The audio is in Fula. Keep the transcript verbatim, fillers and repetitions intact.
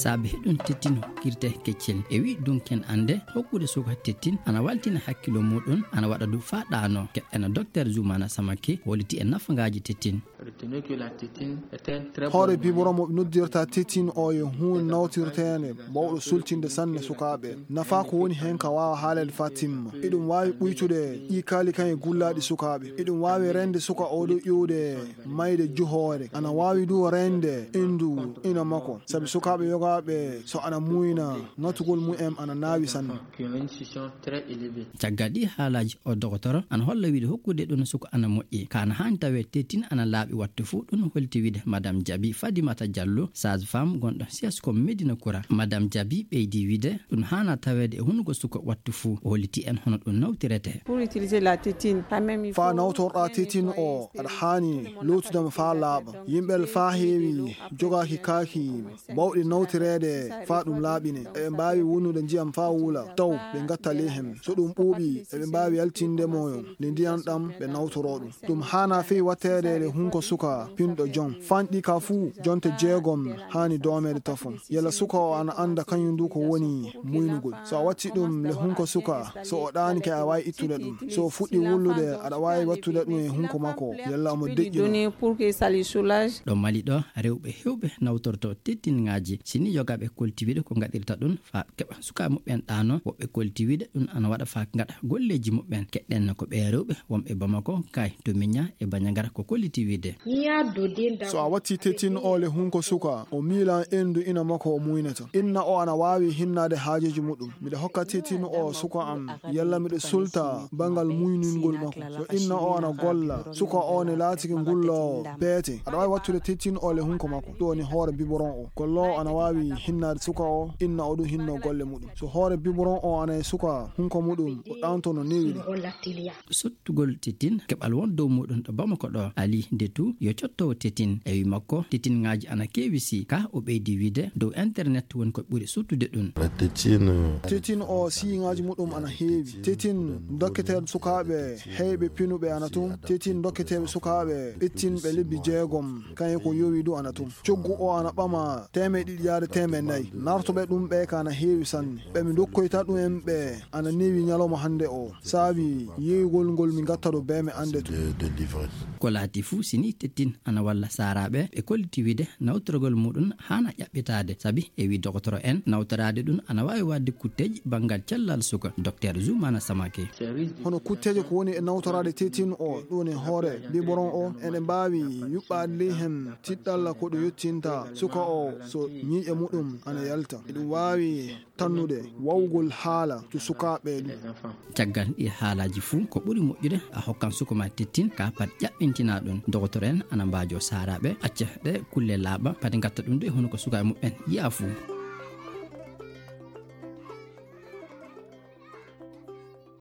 Saabe heɗun tettin hokkirte keccel. E wi dunken ande hokkude suka tettin ana waltina hakkilo muɗun, ana waɗa du faa ɗaano. Keɗɗena Doktor Zumana Samake holliti e nafangaaji tettin. Retenez que la tétine est un très bon Hoore moyen. Biberon mo ɓe noddirta tettin o yo huun nawtirteende bawɗo sultinde sanne sukaaɓe. Nafa ko woni heen ka waawa haaleede faa timma. Eɗum waawi ɓuytude ɗi kaali kan e gullaaɗi sukaaɓe. Eɗum waawi reende suka o ɗo iwde mayde juhoore. Ana waawi du reende indu ina makko. Sabi sukaaɓe yogaaɓe so ana muyna, ŋatugol mumen ana naawi sanne. Qui ont une scission très élevée. Caggal ɗi haalaaji, o dogotoro ana holla wiide hokkude ɗun suka ana moƴƴi. Ka ana haani tawee tettin ana laaɓi wattu fuu, ɗun holliti wiide Madame Jabi Fadimata Jallo, sage-femme gonɗo C S ko Medina Kura. Madame Jabi ɓeydi wiide ɗun haana taweede e hunuko suka wattu fuu. O holliti en hono ɗun nawtirete. Pour utiliser la tétine, quand même, il Faa faut nawtorɗaa tettin o, aɗa haani lootude mo faa laaɓa. Yimɓe faa heewi jogaaki kaaki bawɗi nawtireede faa ɗum laaɓine. Eɓe mbaawi wonnude ndiyam faa wula, taw ɓe ngattali hen. So ɗum ɓuuɓi, eɓe mbaawi yaltinde mo nde ndiyam ɗam ɓe nawtoroo ɗum. Ɗum haanaa fey watteede le hunko suka pinɗo jon. Fanɗi ka fuu, jonte jeegom haani doomeede tafon. Yalla suka o ana annda kañum du ko woni muynugol. So a watti ɗum le hunko suka, so o ɗaanike, a waawi ittude ɗum. So o fuɗɗi wullude, aɗa waawi wattude ɗum e hunko makko, yalla omo deƴƴi ɗum. Donner pour que ça le soulage. Ɗo Mali ɗo, rewɓe heewɓe nawtorto tettinŋaaji. Sini yogaaɓe kolti wiide ko ngaɗirta ɗum faa keɓa sukaaɓe muɓɓen ɗaano, woɓɓe kolti wiide ɗum ana waɗa faa ngaɗa golleeji muɓɓen. Keɗɗen ko ɓee rewɓe wonɓe Bamako, Kay, to Miña e Bañagara ko kolliti wiide. So a watti tettin o le hunko suka, o miilan endu ina makko o muynata. Inna o ana waawi hinnaade haajeeji muɗum. Miɗo hokka tettin o suka am, yalla miɗo sulta bangal muyningol makko. So inna o ana golla, suka o ne laatike ngulloowo peete, aɗa waawi wattude tettin o le hunko makko. Ɗum woni hoore biberon o. Golloowo ana waawi hinnaade suka o, inna o ɗum hinnoo golle muɗum. So hoore biberon o ana e suka hunko muɗum, o ɗaanto no newiri. Sottugol tettin, keɓal won dow muɗum ɗo Bamako ɗo. Ali Ndetu yo cottoowo tettin. E wi makko, tettinŋaaji ana keewi si ka o ɓeydi wiide dow internet woni ko ɓuri suttude ɗum. La tétine, euh, Tettin o siiŋaaji muɗum ana heewi. Tettin dokketeeɗo sukaaɓe heyɓe pinuɓe ana tun. Tettin dokketeeɓe sukaaɓe ɓettinɓe lebbi jeegom, kañum ko yowi du ana tun. Coggu o ana ɓama teemeɗe ɗiɗi yaade teemeɗe nayi. Nartuɓe ɗum ɓe ka ana heewi sanne. Ɓe mi dokkoyta ɗum en ɓe ana newi ñalawma hannde o. Saabi yeeyugol ngol mi ngatta ɗo bee mi annde tun. De, de livrer. Ko laati fuu, sini tettin ana walla saaraaɓe, ɓe kolliti wiide nawtorgol muɗum haana ƴaɓɓitaade. Sabi e wi dogotoro en, nawtoraade ɗum ana waawi waɗde kutteeji banngal cellal suka. Doktor Zumana Samake. Hono kutteeje ko woni e nawtoraade tettin o, ɗum e hoore biberon o, eɗen mbaawi yuɓɓaade ley hen tiɗɗalla ko ɗum yottinta suka o so ñiiƴe muɗum ana yalta. Eɗum waawi tannude wawgol haala to sukaaɓe ɗum. Caggal ɗi haalaaji fuu, ko ɓuri moƴƴude a hokkan suka ma tettin ka pat ƴaɓɓintinaa ɗum. Dogotoro en ana mbaajo saaraaɓe acca ɗe kulle laaɓa, pati ngatta ɗum de hono ko sukaaɓe muɓɓen yi'a fuu.